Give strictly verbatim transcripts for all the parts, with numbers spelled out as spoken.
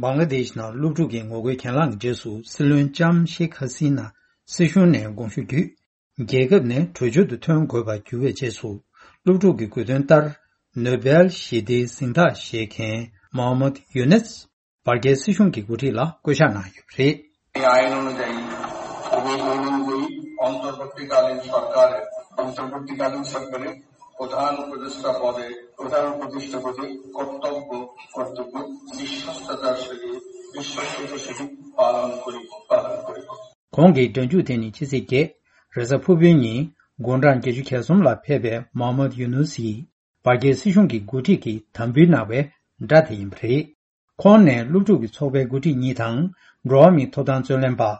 བང་ལ་དེཤ་ནང་སློབ་ཕྲུག་གི་ངོ་རྒོལ་གྱེན་ལངས་ཀྱི་རྗེས་སུ། སྲིད་བློན་ལྕམ་ཤེག་ཧ་སི་ན་སྲིད་གཞུང་ནས་དགོངས་ཞུ་བརྒྱུད། རྒྱལ་ཁབ་ནས་བྲོས་བྱོལ་དུ་ཐོན་དགོས་པར་གྱུར་བའི་རྗེས་སུ། སློབ་ཕྲུག་གི་དགོས་འདུན་ལྟར། ནོ་སྦེལ་ཞི་བདེའི་གཟེངས་རྟགས་བཞེས་མཁན་མོ་ཧམ་མད་ཡུ་ནུས། བར་བརྒལ་སྲིད་གཞུང་གི་འགོ་ཁྲིད་ལ་བསྐོ་གཞག་གནང་ཡོད་པ་རེད། ये आइन अनुयायी, अभी অনুযায়ী অন্তর্বর্তীকালীন সরকারের, অন্তর্বর্তীকালীন সরকারের প্রধান উপদেষ্টা পদে, প্রধান উপদেষ্টা পদে কর্তব্য, কর্তব্য বিশ্বস্ততার সহিত, বিশ্বস্ততার সহিত পালন করিব, পালন করিব। གོང་གི་སྒྲ་འཇུག་དེ་ནི་ཕྱི་ཚེས་བརྒྱད། རེས་གཟའ་ཕུར་བུའི་ཉིན་དགུང་གྲངས་བརྒྱད་ཅུ་གྱ་གསུམ་ལ་ཕེབས་པའི་མོ་ཧམ་མད་ཡུ་ནུས་ཡིས་བར་བརྒལ་སྲིད་གཞུང་གི་འགོ་ཁྲིད་ཀྱི་དམ་འབུལ་གནང་བའི་སྒྲ་དེ་ཡིན་པ་རེད། ཁོང་ནས་སློབ་ཕྲུག་གི་ཚོགས་པའི་འགོ་ཁྲིད་གཉིས་དང་། འགྲོ་བ་མིའི་ཐོབ་ཐང་རྩོད་ལེན་པ།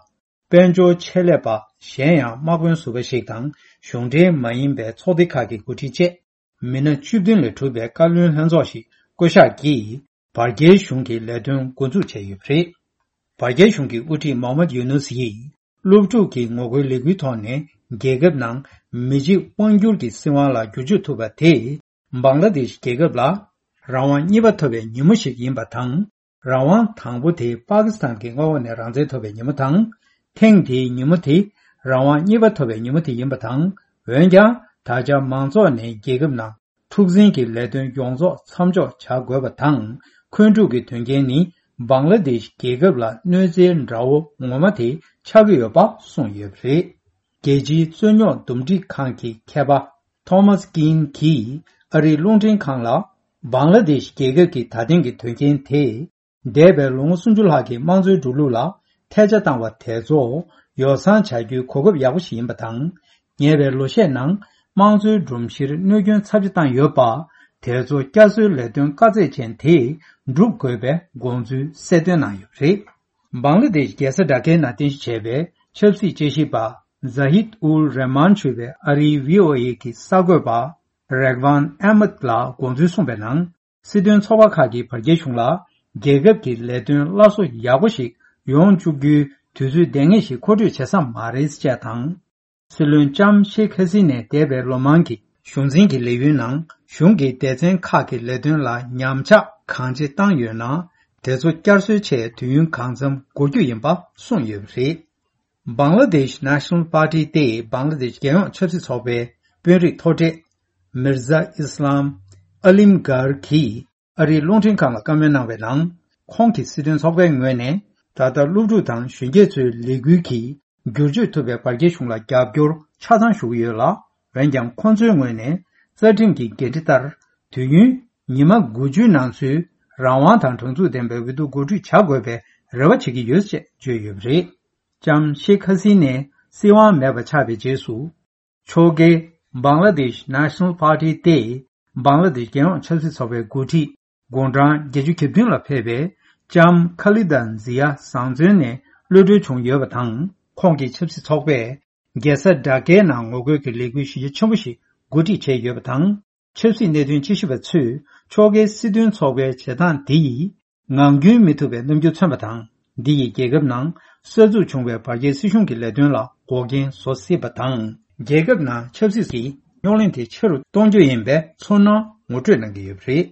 དཔལ་འབྱོར་ཆེད་ལས་པ་གཞན་ཡང་དམག་དཔོན་ཟུར་པ་ཞིག་དང་། གཞུང་འབྲེལ་མ་ཡིན་པའི་ཚོགས་སྡེ་ཁག་གི་འགོ་ཁྲིད་བཅས། མི་སྣ་བཅུ་བདུན་ལས་གྲུབ་པའི་བཀའ་བློན་ལྷན་ཚོགས་ཤིག་བསྐོ་གཞག་གིས། བར་བརྒལ་གཞུང་གི་ལས་དོན་འགོ་འཛུགས་བྱས་ཡོད་པ་རེད། བར་བརྒལ་གཞུང་གི་དབུ་ཁྲིད་མོ་ཧམ་མད་ཡུ་ནུས་ཡིས། སློབ་ཕྲུག་གི་ངོ་རྒོལ་ལས་འགུལ་ཐོག་ནས་རྒྱལ་ཁབ་ནང་མི་གཅིག་དབང་སྒྱུར་གྱི་སྲིད་དབང་ལ་བསྒྱུར་བཅོས་ཐུབ་པ་དེས། བང་ལ་དེཤ་རྒྱལ་ཁབ་ལ་རང་དབང་གཉིས་པ་ཐོབ་པའི་ཉིན་མོ་ཞིག་ཡིན་པ་དང་། རང་དབང་དང་པོ་དེ་པ་ཀི་སི་ཐན་གྱི་མངའ་འོག་ནས་རང་བཙན་ཐོབ་པའི་ཉིན་མོ་དང་། ཐེངས་འདིའི་ཉིན་མོ་དེ་རང་དབང་གཉིས་པ་ཐོབ་པའི་ཉིན་མོ་དེ་ཡིན་པ་དང་། འོན་ཀྱང་། ད་ཆ་མང་ཚོགས་ནས་རྒྱལ་ཁབ་ནང་འཁྲུག་འཛིང་གི་ལས་དོན་ཡོངས་རྫོགས་མཚམས་འཇོག་བྱ་དགོས་པ་དང་། འཁོན་འཁྲུག་གི་དོན་རྐྱེན་ནི། བང་ལ་དེཤ་རྒྱལ་ཁབ་ལ་གནོད་འཚེའི་དགྲ་བོ་ངོ་མ་དེ་ཆགས་ཀྱི་ཡོད་པ་གསུངས་ཡོད་པ་རེད། རྒྱལ་སྤྱིའི་རྩོད་རྙོག་འདུམ་འགྲིག་ཁང་གི་མཁས་པ་ཐོ་མཱས་ཀིན་གྱིས་ཨ་རིའི་རླུང་འཕྲིན་ཁང་ལ། བང་ལ་དེཤ་རྒྱལ་ཁབ་ཀྱི་ད་ཐེངས་ཀྱི་དོན་རྐྱེན་དེས། འདས་པའི་ལོ་ངོ་སུམ་ཅུ་ལྷག་གི་དམངས་གཙོའི་འགྲོ་ལུགས་ལ་ཐལ་ཆ་བཏང་བ་དེ་ཚོ་ཡོ་བསྲང་བྱ་རྒྱུའི་གོ་སྐབས་ཡག་པོ་ཞིག་ཡིན་པ་དང་། ཉེ་བའི་ལོ་ཤས་ནང་དམངས་གཙོའི་སྒྲོམ་གཞིར་གནོད་སྐྱོན་ཚབས་ཆེ་བཏང་ཡོད་པ། དེ་ཚོ་བསྐྱར་གསོའི་ལས་དོན་དཀའ་ཚེགས་ཅན་དེ་སྒྲུབ་དགོས་པའི་དགོངས་ཚུལ་གསལ་སྟོན་གནང་ཡོད་པ་རེད། བང་ལ་དེཤ་རྒྱལ་ས་ཌ་ཀའི་ནང་རྟེན་གཞི་བྱས་པའི་ཆབ་སྲིད་དཔྱད་ཞིབ་པ་ཛ་ཧིད་ཨུལ་རེ་མཱན་ཞུ་བའི་ཨ་རིའི་བྷི་ཨོ་ཨེ་གི་གསར་འགོད་པ་རེག་ཝན་ཨེ་མད་ལ་དགོངས་ཚུལ་གསུངས་པའི་ནང་། སྲིད་དོན་ཚོགས་པ་ཁག་གིས་བར་བརྒལ་གཞུང་ལ་རྒྱལ་ཁབ་ཀྱི་ལས་དོན་སླར་གསོ་ཡག་པོ་ཞིག་ཡོང་བཅུག་རྒྱུའི་དུས་ཚོད་ལྡང་ངེས་ཤིག་མཁོ་སྤྲོད་བྱེད་ས་མ་རེད་ཅེས་དང་། སྲིད་བློན་ལྕམ་ཤེག་ཧ་སི་ནས་འདས་པའི་ལོ་མང་གི་གཞུང་འཛིན་གྱི་ལས་ཡུན་ནང་གཞུང་གི་སྡེ་ཚན་ཁག་གི་ལས་དོན་ལ་ཉམས་ཆག་གང་ཆེ་བཏང་ཡོད་ན། དེ་ཚོ་བསྐྱར་གསོའི་ཆེད་དུས་ཡུན་གང་འཚམ་འགོར་རྒྱུ་ཡིན་པ་གསུངས་ཡོད་པ་རེད། བང་ལ་དེཤ་ནེ་ཤ་ནལ་པར་ཊི་སྟེ་བང་ལ་དེཤ་རྒྱལ་ཡོངས་ཆབ་སྲིད་ཚོགས་པའི་དཔོན་རིགས་མཐོ་གྲས་མིར་ཟ་ཨི་སི་ལམ་ཨ་ལིམ་གྷར་གྱིས་ཨ་རིའི་རླུང་འཕྲིན་ཁང་ལ་བཀའ་མོལ་གནང་བའི་ནང་། ཁོང་གིས་སྲིད་དོན་ཚོགས་པའི་ངོས་ནས་ད་ལྟ་སློབ་ཕྲུག་དང་གཞོན་སྐྱེས་ཚོའི་ལས་འགུལ་གྱིས་བསྒྱུར་བཅོས་ཐུབ་པའི་བར་བརྒལ་གཞུང་ལ་རྒྱབ་སྐྱོར་ཆ་ཚང་ཞུ་གི་ཡོད་ལ། འོན་ཀྱང་ཁོང་ཚོའི་ངོས་ནས་རྩ་ཁྲིམས་ཀྱི་འགན་འཁྲི་ལྟར་དུས་ཡུན་ཉི་མ་དགུ་བཅུའི་ནང་ཚུད་རང་དབང་དང་དྲང་ཚུགས་ལྡན་པའི་འོས་བསྡུ་གོ་སྒྲིག་བྱ་དགོས་པའི་རེ་བ་བྱེད་ཀྱི་ཡོད་ཅེས་བརྗོད་ཡོད་པ་རེད། ལྕམ་ཤེག་ཧ་སི་ནས་སྲིད་དབང་མེད་པ་ཆགས་པའི་རྗེས་སུ། ཕྱོགས་འགལ་བང་ལ་དེཤ་ནེ་ཤ་ནལ་པར་ཊི་སྟེ་བང་ལ་དེཤ་རྒྱལ་ཡོངས་ཆབ་སྲིད་ཚོགས་པའི་འགོ་ཁྲིད་དགུང་གྲངས་བརྒྱད་ཅུ་གྱ་བདུན་ལ་ཕེབས་པའི་ལྕམ་ཁ་ལི་ད་ཛི་ཡ་བཟང་བཙོན་ནས་གློད་གྲོལ་བྱུང་ཡོད་པ་དང་། ཁོང་གིས་ཆབ་སྲིད་ཚོགས་པས་རྒྱལ་ས་ཌ་ཀའི་ནང་ངོ་རྒོལ་གྱི་ལས་འགུལ་གཞི་རྒྱ་ཆེན་པོ་ཞིག་འགོ་ཁྲིད་བྱས་ཡོད་པ་དང་། ཆབ་སྲིད་གནད་དོན་དཔྱད་ཞིབ་པ་ཚོས་ཕྱོགས་འགལ་སྲིད་དོན་ཚོགས་པའི་བྱེད་སྟངས་འདི་ཡིས་ངང་རྒྱུན་མི་ཐུབ་པའི་རྣམ་འགྱུར་མཚོན་པ་དང་། འདི་ཡིས་རྒྱལ་ཁབ་ནང་གསར་འཛུགས་བྱུང་བའི་བར་བརྒལ་སྲིད་གཞུང་གི་ལས་དོན་ལ་འགོག་རྐྱེན་བཟོ་སྲིད་པ་དང་། རྒྱལ་ཁབ་ནང་ཆབ་སྲིད་ཀྱི་རྙོག་གླེང་དེ་ཆེ་རུ་གཏོང་རྒྱུ་ཡིན་པའི་ཚོར་སྣང་ངོ་སྤྲོད་གནང་གི་ཡོད་པ་རེད།